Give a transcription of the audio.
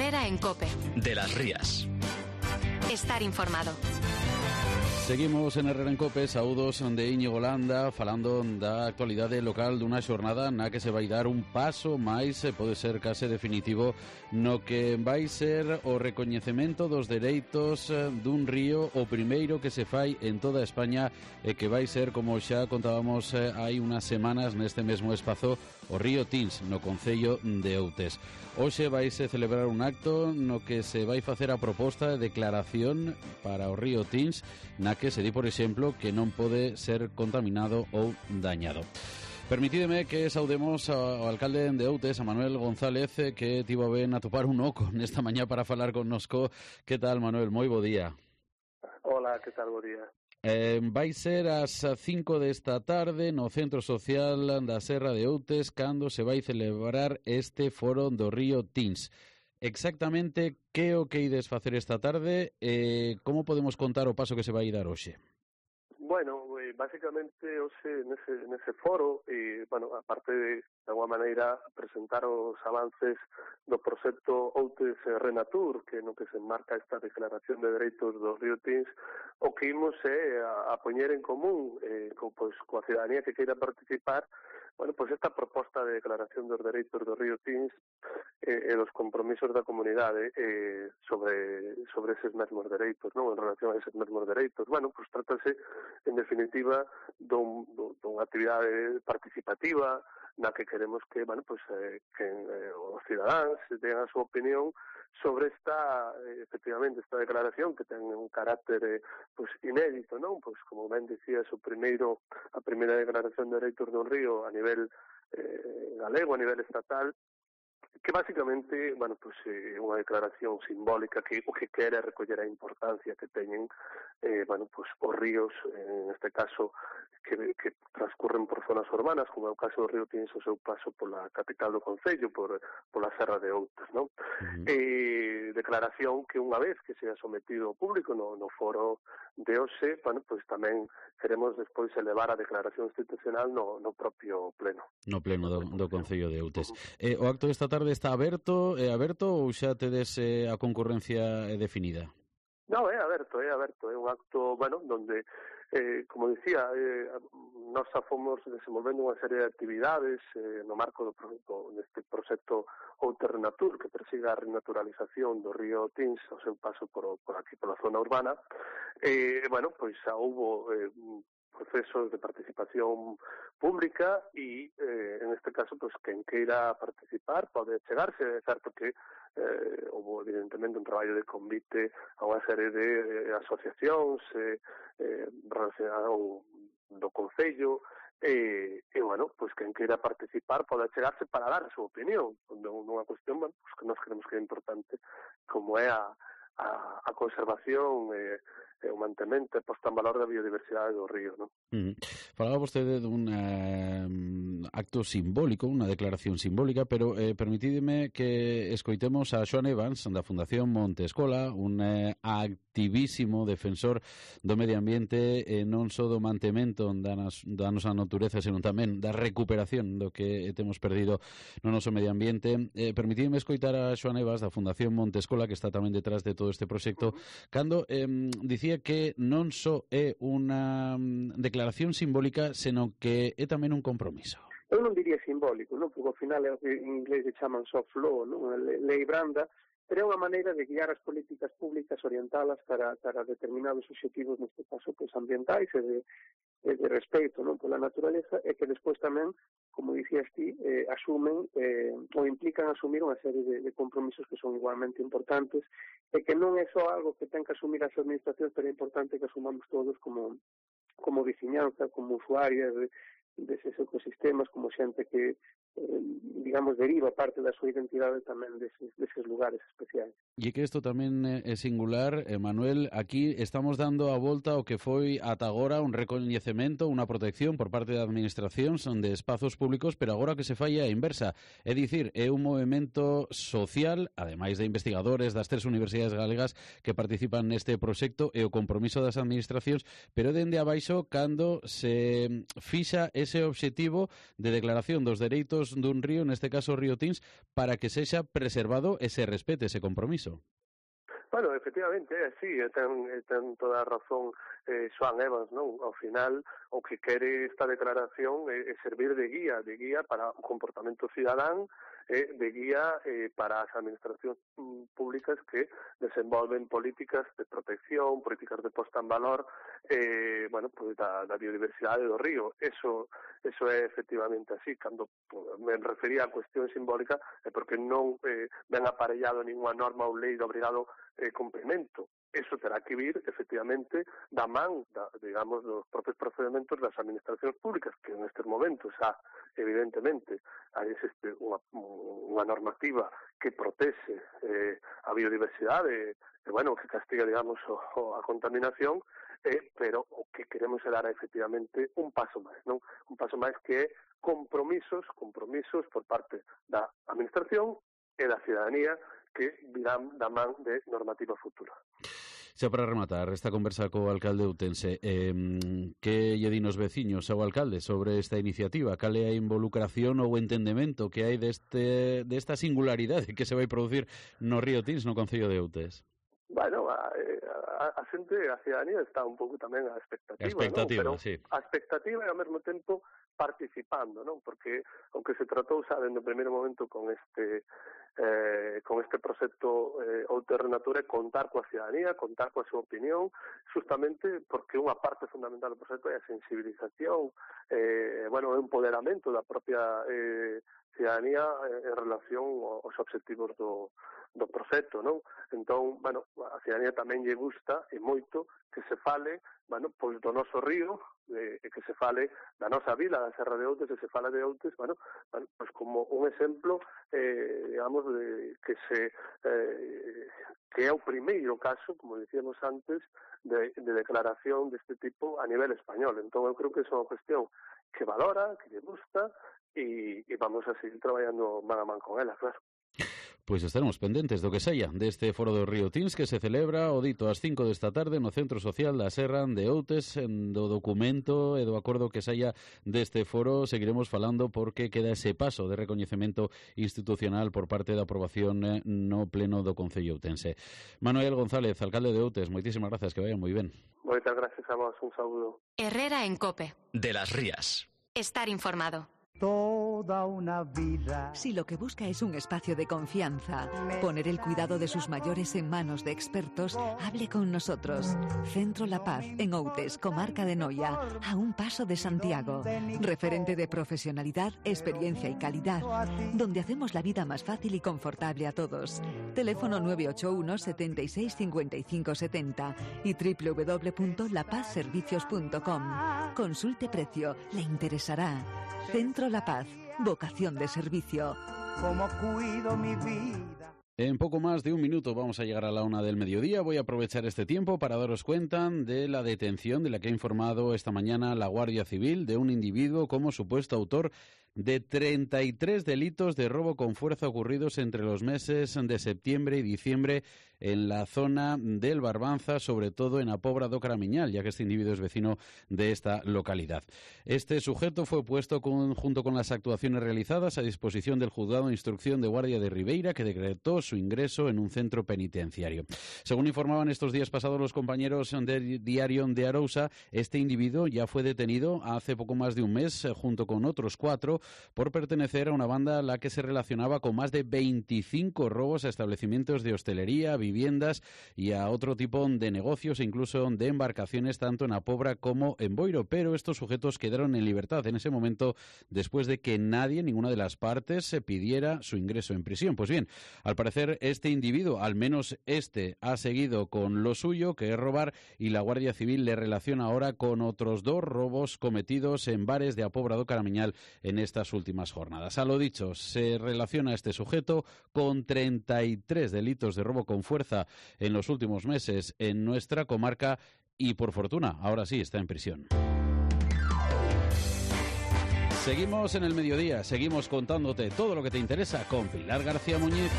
Herrera en COPE. De las Rías. Estar informado. Seguimos en Herrera en COPE, saúdos de Íñigo Landa, falando da actualidade local dunha xornada na que se vai dar un paso máis, pode ser case definitivo, no que vai ser o recoñecemento dos dereitos dun río, o primeiro que se fai en toda España e que vai ser, como xa contábamos hai unhas semanas neste mesmo espazo, o río Tins, no concello de Outes. Hoxe vaise celebrar un acto no que se vai facer a proposta de declaración para o río Tins, na que se di, por exemplo, que non pode ser contaminado ou dañado. Permitídeme que saudemos ao alcalde de Outes, a Manuel González, que tivo ben atopar un oco nesta mañá para falar connosco. Que tal, Manuel? Moi bo día. Hola, que tal, bo día. Vai ser ás 5 desta tarde no Centro Social da Serra de Outes cando se vai celebrar este foro do río Tins. Exactamente que o que ides facer esta tarde e como podemos contar o paso que se vai dar hoxe? Bueno, basicamente hoxe nese foro, aparte de alguma maneira presentar os avances do proxecto Outes Renatur, que no que se enmarca esta declaración de dereitos do río Tins, o que imos é a poñer en común coa cidadanía que queira participar, esta proposta de declaración dos dereitos do río Tins e dos compromisos da comunidade sobre eses mesmos dereitos, non? En relación a eses mesmos dereitos. Trátase, en definitiva, dunha actividade participativa na que queremos que, os cidadáns teñan a súa opinión sobre efectivamente, esta declaración que ten un carácter inédito, non? Como ben dicías, a primeira declaración de dereitos do río a nivel galego, a nivel estatal, que basicamente, é unha declaración simbólica que o que quere é recoller a importancia que teñen os ríos, en este caso, que transcurren por zonas urbanas, como é o caso do río Tins, o seu paso pola capital do concello, pola Serra de Outes, non? Declaración que unha vez que se ha sometido ao público no foro de hoxe, tamén queremos despois elevar a declaración institucional no propio pleno. No pleno do concello de Outes. O acto desta tarde está aberto ou xa tedes a concurrencia definida? No, é aberto, é un acto, donde, como dicía, nós fomos desenvolvendo unha serie de actividades no marco deste proxecto Outes Renatur, que persigue a renaturalización do río Tins ao seu paso por aquí, pola zona urbana. Xa houbo procesos de participación pública e, en este caso, quen queira participar pode chegarse. É certo que houve, evidentemente, un traballo de convite a unha serie de asociacións relacionadas do Concello quen queira participar pode chegarse para dar a súa opinión nunha cuestión que nós creemos que é importante, como é a conservación e o mantemento e posta en valor da biodiversidade do río, non? Falaba vostede dun acto simbólico, unha declaración simbólica, pero permitídeme que escoitemos a Xoan Evans da Fundación Monte Escola, un activísimo defensor do medio ambiente e non só do mantemento da nosa natureza, senón tamén da recuperación do que temos perdido no noso medio ambiente. Permitídeme escoitar a Xoan Evans da Fundación Monte Escola, que está tamén detrás de todo este proxecto, cando dicía que non só é unha declaración simbólica, senón que é tamén un compromiso. Eu non diría simbólico, non? Porque ao final en inglés se chaman soft law, non? Lei branda, pero é unha maneira de guiar as políticas públicas, orientalas para determinados obxectivos, neste caso, ambientais e de respeito, non, pola naturaleza, e que despois tamén, como dicías ti, asumen ou implican asumir unha serie de compromisos que son igualmente importantes e que non é só algo que ten que asumir as administracións, pero é importante que asumamos todos como veciñanza, como usuarias deses ecosistemas, como xente que, deriva parte da súa identidade tamén deses lugares especiais. E que isto tamén é singular, Manuel, aquí estamos dando a volta ao que foi ata agora un recoñecemento, unha protección por parte da administración de espazos públicos, pero agora que se fai a inversa, é dicir, é un movimento social, ademais de investigadores das 3 universidades galegas que participan neste proxecto e o compromiso das administracións, pero dende abaixo cando se fixa ese obxectivo de declaración dos dereitos dun río, neste neste caso Río Tints, para que sexa preservado e se respete ese compromiso. Bueno, efectivamente, sí, ten toda a razón Xoán Evans, non? Ao final, o que quere esta declaración é servir de guía para o comportamento cidadán, de guía para as administracións públicas que desenvolven políticas de protección, políticas de posta en valor, bueno, pues da biodiversidade do río. Eso é efectivamente así. Cando me refería á cuestión simbólica é porque non ven aparellado ninguna norma ou lei de obrigado cumprimento. Eso terá que vir, efectivamente, da man, digamos, dos propios procedementos das administracións públicas, que nestes momentos evidentemente, existe unha normativa que protexe a biodiversidade, bueno, que castiga, digamos, a contaminación, pero o que queremos é dar, efectivamente, un paso máis, non? Un paso máis que é compromisos por parte da administración e da cidadanía que virán da man de normativa futura. Xa para rematar esta conversa co alcalde Outense, que lle din os veciños ao alcalde sobre esta iniciativa? Cal é a involucración ou entendemento que hai desta singularidade que se vai producir no Río Tints, no concello de Outes? Bueno, a xente, a cidadanía está un pouco tamén a expectativa, ¿no? Pero sí. A expectativa e ao mesmo tempo participando, non? Porque o que se tratou xa no primeiro momento con este proxecto Outes Renatura é contar coa cidadanía, contar coa súa opinión, justamente porque unha parte fundamental do proxecto é a sensibilización, bueno, o empoderamento da propia cidadanía en relación aos obxectivos do proxecto, non? Entón, bueno, a cidadanía tamén lle gusta e moito que se fale, bueno, pois do noso río, que se fale da nosa vila, da Serra de Outes, e se fala de Outes, bueno, pois como un exemplo, digamos, que é o primeiro caso, como dicíamos antes, de declaración deste tipo a nivel español. Entón, eu creo que é unha cuestión que valora, que lle gusta, e vamos a seguir traballando man a man con ela, claro. Pois estaremos pendentes do que saia deste foro do Río Tints que se celebra o dito ás 5 desta tarde no Centro Social da Serra de Outes. Do documento e do acordo que saia deste foro seguiremos falando porque queda ese paso de recoñecemento institucional por parte da aprobación no pleno do Concello Outense. Manuel González, alcalde de Outes, moitísimas gracias, que vayan moi ben. Moitas gracias a vos, un saúdo. Herrera en COPE. De las Rías. Estar informado. Toda una vida. Si lo que busca es un espacio de confianza, poner el cuidado de sus mayores en manos de expertos, hable con nosotros. Centro La Paz, en Outes, comarca de Noia, a un paso de Santiago. Referente de profesionalidad, experiencia y calidad, donde hacemos la vida más fácil y confortable a todos. Teléfono 981 76 55 70 y www.lapazservicios.com. Consulte precio, le interesará. Centro La Paz, vocación de servicio. Como cuido mi vida. En poco más de un minuto vamos a llegar a la 1 del mediodía. Voy a aprovechar este tiempo para daros cuenta de la detención de la que ha informado esta mañana la Guardia Civil de un individuo como supuesto autor de 33 delitos de robo con fuerza ocurridos entre los meses de septiembre y diciembre en la zona del Barbanza, sobre todo en a Pobra do Caramiñal, ya que este individuo es vecino de esta localidad. Este sujeto fue puesto junto con las actuaciones realizadas a disposición del Juzgado de Instrucción de Guardia de Ribeira, que decretó su ingreso en un centro penitenciario. Según informaban estos días pasados los compañeros del diario de Arousa, este individuo ya fue detenido hace poco más de un mes, junto con otros 4, por pertenecer a una banda a la que se relacionaba con más de 25 robos a establecimientos de hostelería, viviendas y a otro tipo de negocios e incluso de embarcaciones tanto en A Pobra como en Boiro, pero estos sujetos quedaron en libertad en ese momento después de que ninguna de las partes se pidiera su ingreso en prisión. Pues bien, al parecer este individuo, al menos este, ha seguido con lo suyo, que es robar, y la Guardia Civil le relaciona ahora con otros 2 robos cometidos en bares de A Pobra do Caramiñal en estas últimas jornadas. A lo dicho, se relaciona a este sujeto con 33 delitos de robo con fuerza en los últimos meses en nuestra comarca y, por fortuna, ahora sí está en prisión. Seguimos en el mediodía, seguimos contándote todo lo que te interesa con Pilar García Muñiz.